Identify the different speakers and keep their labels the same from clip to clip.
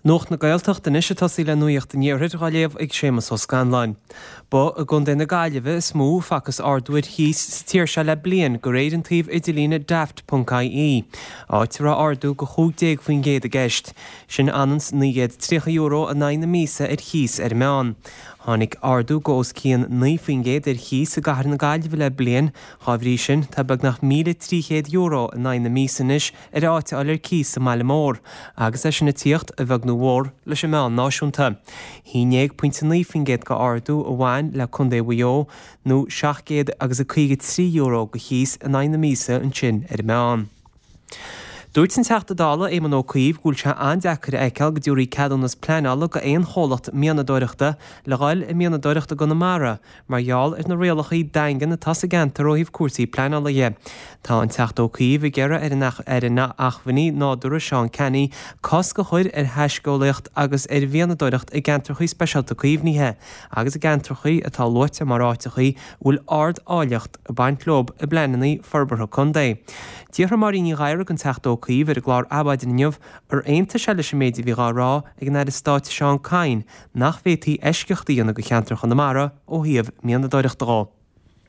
Speaker 1: Nuacht na Gaeltachta anois ag tosaí le Nuacht an Iarthair dhá léamh ag Séamus Ó Scanláin. Ba i gContae na Gaillimhe is mó a facthas ardú ar chíos sa tír seo le bliain de réir an tsuímh idirlíne Daft.ie, áit a raibh ardú de 15% i gceist. Sin ionann 's €930 in aghaidh na míosa ar chíos ar an meán. Tháinig ardú de os cionn 9% ar chíos i gcathair na Gaillimhe le bliain, dhá bhrí sin tá beagnach €1,300 in aghaidh na míosa anois ar áit a fháil ar cíos sa mbaile mór, agus é sin ag tíocht, a bheag nó a mhór, leis an meán náisiúnta. 11.9% de ardú a bhain le Contae Mhaigh Eo, nó 700 agus a 53 euro de chíos in aghaidh na míosa ansin ar an meán. Dúirt an Teachta Dála Éamon Ó Cuív go bhfuil sé an-deacair a fheiceáil go dtabharfaí ceadúnas pleanála go aon chomhlacht mianadóireachta le dhul ag mianadóireacht i gConamara mar gheall ar na rialachaí daingean atá sa gceantar ó thaobh cúrsaí pleanála dhe. Tá an Teachta Ó Cuív ag iarraidh ar an Aire Acmhainní Nádúrtha Seán Canney cosc a chur ar thaiscéalaíocht agus ar mhianadóireacht i gceantrachaí speisialta caomhnaithe agus i gceantrachaí atá luaite mar áiteachaí a bhfuil ard-áilleacht ag baint leo i bpleananna forbartha contae. D'fhiafraigh Máirín Ní Ghadhra den Teachta Ó Cuív ar an gclár Adhmhaidin inniu ar aontaigh sé leis an méid a bhí dhá rá ag an Aire Stáit Seán Kyne nach bhféadfaí eisceacht a dhéanamh do cheantar Chonamara ó thaobh mianadóireachta dhó.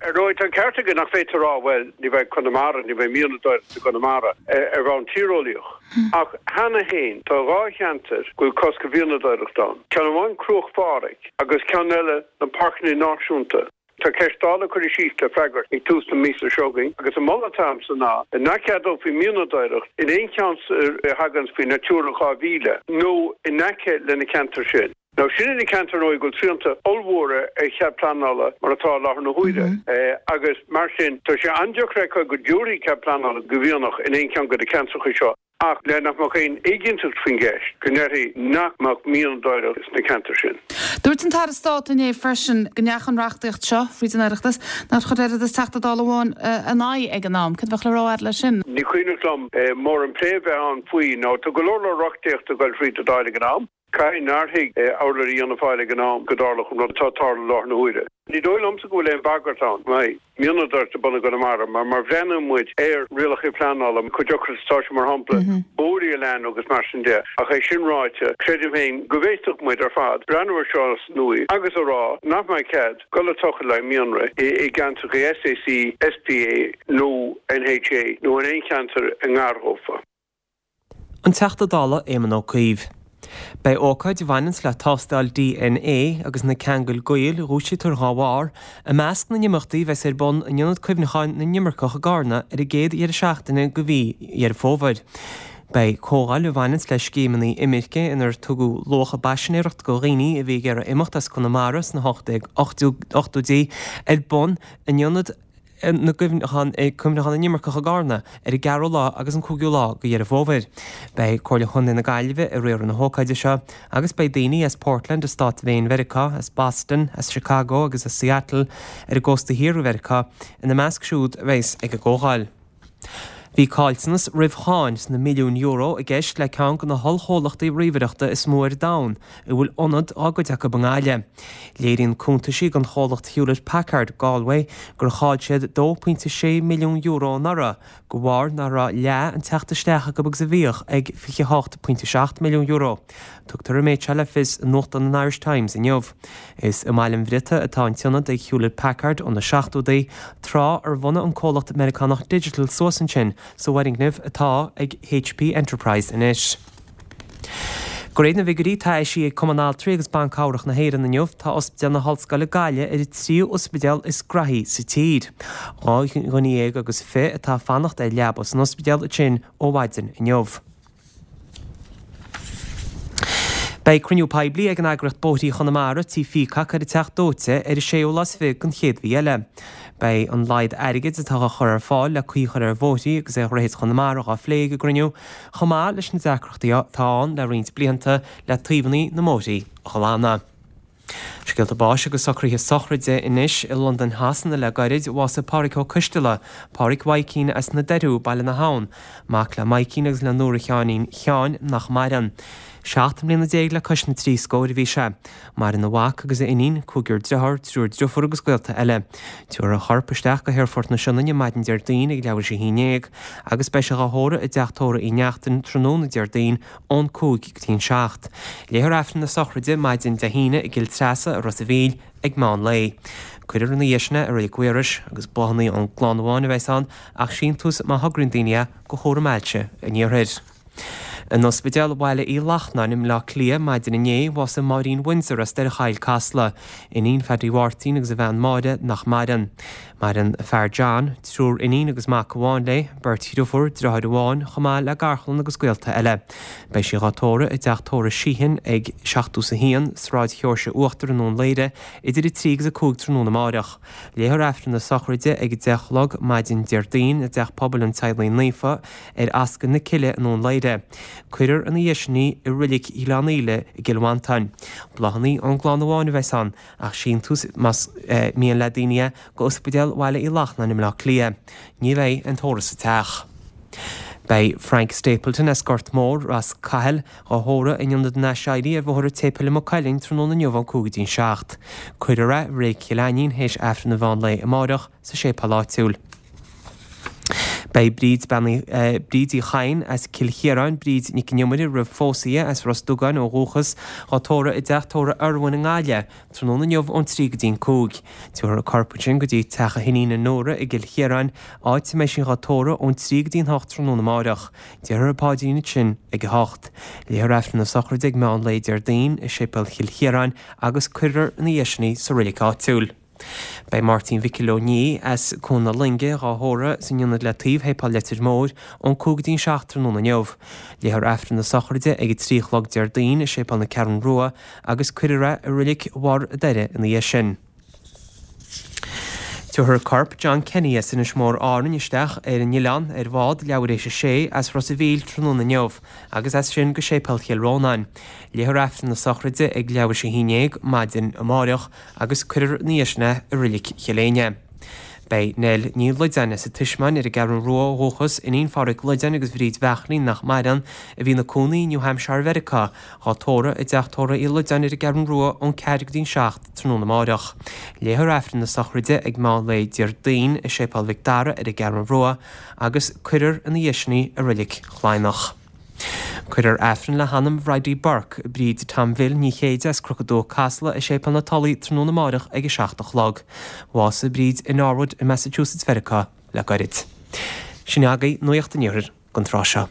Speaker 2: Ar ndóigh, tá an ceart aige nach féidir a rá, bhuel, ní bheidh Conamara, ní bheidh mianadóireacht i gConamara, ar bhonn tíreolaíoch. Ach cheana féin, tá 2 cheantar go bhfuil cosc ar mhianadóireacht ann, ceann amháin Cruach Phádraig agus ceann eile na Páirceanna Náisiúnta. Tá ceist Dála curtha síos le freagairt ag tús na míosa seo chugainn agus an moladh atá agamsa ná nach gceadófaí mianadóireacht in aon cheantar a thaganns faoi Natura 2000 nó in aice le na ceantair sin. Now sin na ceantair ar ndóigh go bhfuil srianta ollmhóra ar chead pleanála mar atá i láthair na huaire agus mar sin tá sé an-deacair a fheiceáil go dtabharfaí cead pleanála go mhianach in aon cheann de na ceantracha seo. ach le nach mbeadh aon éiginnteacht faoin gceist, go ndéarfaí nach mbeadh mianadóireacht sna ceantair sin.
Speaker 3: Dúirt an tAire Stáit inné freisin go ndeachaigh an reachtaíocht seo fríd an Oireachtas, nár chuir oiread is Teachta Dála amháin ina aghaidh ag an am. Cad a bheadh le rá agat leis sin?
Speaker 2: Ní cuimhneach liom mórán plé a bheith ann faoi nó tá go leor leor reachtaíochta ag dul fríd an Dáil ag an am. Caithfidh nár thuig urlabhraí Fhianna Fáil ag an am go dtarlódh an rud atá ag tarlú i láthair na huaire. Ní dóigh liomsa go bhfuil aon bhagairt ann go mbeidh mianadóireacht ar bun i gConamara mar má bhreathnaíonn muid ar rialacha pleanála, chomh deacair is atá sé mar shampla bóithre a leathnú agus mar sin de. Ach é sin ráite, creidim féin go bhféadfadh muid ar fad breathnú ar seo as an uaigh agus a rá nach mbeidh cead dul ag tochailt le haghaidh mianraí i gceantracha SAC, SPA nó NHA nó in aon cheantar i ngar dhófa.
Speaker 1: An Teachta Dála Éamon Ó Cuív. Beidh ócáid a bhaineanns le tástáil DNA agus na ceangail gaoil a dhúisítear dhá bharr, i measc na n-imeachtaí a bheas ar bun in Ionad Cuimhneacháin na nImirceach i gCarna ar an gcéad dheireadh seachtaine de mhí Dheireadh Fómhair. Beidh comhdháil a bhaineanns le scéimeanna imirce inar tugadh luach a bpaisinéireacht do dhaoine a bhí ag iarraidh imeacht as Conamara sna 1880idí ar bun in Ionad na gCuimhneachán, Cuimhneachán na nImirceach i gCarna ar an gceathrú lá agus an cúigiú lá de Dheireadh Fómhair. Beidh Comhairle Chontae na Gaillimhe ag riaradh na hócáide seo agus beidh daoine as Portland i Stát Mhaine Mheiriceá, as Boston, as Chicago agus as Seattle ar an gcósta thiar de Mheiriceá ina measc siúd a bheas ag an gcomhdháil. Bhí caillteanas roimh cháin sna milliúin euro i gceist le ceann de na hollchomhlachtaí ríomhaireachta is mó ar domhan, a bhfuil ionad dá gcuid acu i nGaillimh. Léiríonn cuntaisí don chomhlacht Hewlett Packard, Galway, gur chaill siad €2.6 milliún anuraidh, de bharr nach raibh leath an teacht isteach acu agus a bhíodh ag €28.7 milliún. Tugtar an méid seo le fios i nuachtán an Irish Times inniu. Is i mBaile an Bhriotaigh atá an t-ionad ag Hewlett Packard ó na seachtóidí, tráth ar bhunaigh an comhlacht Meiriceánach Digital suas ansin sa bhfoirgneamh atá ag HP Enterprise anois. De réir na bhfigiúirí atá eisithe ag Cumann Altraí agus Ban Cabhrach na hÉireann inniu, tá Ospidéal na hOllscoile Gaillimh ar an tríú ospidéal is graithí sa tír. 12 dhuine agus 20 atá ag fanacht ar leaba san ospidéal ansin ó mhaidin inniu. Beidh cruinniú poiblí ag an eagraíocht Bóithrí Chonamara, Tí Pheacock ar an Teach Dóite ar an séú lá is fiche den chéad mhí eile. Beidh an laghad airgid atá á chur ar fáil le caoi a chur ar bhóithrí agus ar dhroichid Chonamara dhá phlé ag an gcruinniú, chomh maith leis na deacrachtaí atá ann le roinnt blianta le taobhanna na mbóithrí a ghlanadh. Scéalta báis agus socruithe sochraide anois i Londain Shasana le gairid, bhásaigh Pádhraic Ó Coisteala, Pádhraic Mhaidhcín as na Doiriú, Baile na hAbhann, mac le Maidhcín agus le Nóra Sheáinín Sheáin, nach maireann. 17 mbliana le cois na dtrí scóir a bhí sé. Maireann a mhac agus a iníon, cúigear driotháir, triúr driofúr agus gaolta eile. Tabharfar a chorp isteach go hAerfort na Sionainne maidin Déardaoin ag leathuair théis 11 agus beidh sé dhá thórramh i dteach tórraimh Uí Neachtain tráthnóna Déardaoin ón 5 go dtí an 7. Léifear Aifreann na sochraide maidin Dé hAoine i gCill Treasa i Ros a' Mhíl ag meán lae. Cuirfear ina dhiaidh sin é i Reilig Mhaorais agus bláthanna ón gclann amháin a bheas ann ach síntiús má thograíonn daoine é go Chúram Ailse an Iarthair. In Ospidéal Bhaile Uí Lachnáin i mBleá Cliath maidin inné, bhásaigh Máirín Windsor as Doire Choill, Casla, iníon Phaddy Mháirtín agus a bhean Máire nach maireann. Maireann a fear John, triúr iníon agus mac amháin léi, beirt dhriofúr, driotháir amháin, chomh maith le garchlann agus gaolta eile. Beidh sí dhá tórramh i dteach tórraimh Sheehan ag 71, Sráid Sheoirse Uachtar i nDún Laoghaire idir 3 agus 5 tráthnóna amáireach. Léifear Aifreann na sochraide ag 10 a chlog maidin Déardaoin i dTeach Pobail an Teaghlaigh Naofa ar Ascaill na Cille i nDún Laoghaire. Cuirfear ina dhiaidh sin í i Reilig Ghleann Íle i gCill Mhantáin. Bláthanna ón gclann amháin a bheas ann, ach síntiús más mian le daoine é go Ospidéal Bhaile Uí Lachnáin i mBleá Cliath. Ní bheidh aon tórramh sa teach. Beidh Frank Stapleton as Gort Mór, Ros Cathail, dhá thórramh in Ionad an Aiséirí ar Bhóthar an tSéipéil i Maigh Cuilinn tráthnóna inniu ón 5 go dtí an 7. Cuirfear é i Reilig Chill Ainnín théis Aifreann an mheán lae amáireach sa séipéal áitiúil. Beidh Bríd, Bean Uí, Bríd Uí Chadhain as Cill Chiaráin, Bríd Nic an Iomaire roimh phósadh í, as Ros Dugáin ó dhúchas, dhá tórramh i dteach tórraimh Irwin i nGaillimh, tráthnóna inniu ón 3 go dtí an 5. Tabharfar a corp ansin go dtí teach a hiníne Nóra i gCill Chiaráin, áit a mbeidh sí dhá tórramh ón 3 go dtí an 8 tráthnóna amáireach. Déarfar an paidrín ansin ag 8. Léifear Aifreann na sochraide ag meán lae Déardaoin i Séipéal Chill Chiaráin agus cuirfear ina dhiaidh sin í sa reilig áitiúil. Beidh Máirtín Mhicil Ó Nia as Cuan na Loinge dhá thórramh san Ionad le taobh Shéipéal Leitir Móir ón 5 go dtí an 7 tráthnóna inniu. Léifear Aifreann na sochraide ag 3 a chlog Déardaoin i Séipéal na Ceathrún Rua agus cuirfear é i Reilig Bharr a' Doire ina dhiaidh sin. Tabharfar corp John Kenny as Inis Mór Árainn isteach ar an oileán ar bhád leathuair théis a sé as Ros a' Mhíl tráthnóna inniu agus as sin go Séipéal Chill Rónáin. Léifear Aifreann na sochraide ag leathuair théis a haon dhéag maidin amáireach agus cuirfear ina dhiaidh sin é i Reilig Chill Éinne. Beidh Nell Ní Loideáin as an Tismeáin ar an gCeathrú Rua ó dhúchas, iníon Phádhraic Loideáin agus Bhríd Bheachlín nach maireann, a bhí ina cónaí i New Hampshire Mheiriceá, dhá tórramh i dteach tórraimh Uí Loideáin ar an gCeathrú Rua ón 4 go dtí an 7 tráthnóna amáireach. Léifear Aifreann na sochraide ag meán lae Déardaoin i Séipéal Mhic Dara ar an gCeathrú Rua agus cuirfear ina dhiaidh sin í i Reilig Chladhnach. Cuirfear Aifreann le hanam Bhridie Burke, Bríd Tom Bhill Ní Chéide as Cnoc an Dúiche Casla i Séipéal na Tulaí tráthnóna amáireach ag 7 a chlog. Bhásaigh Bríd i Norwood i Massachusetts Mheiriceá le gairid. Sin agaibh Nuacht an Iarthair don tráth seo.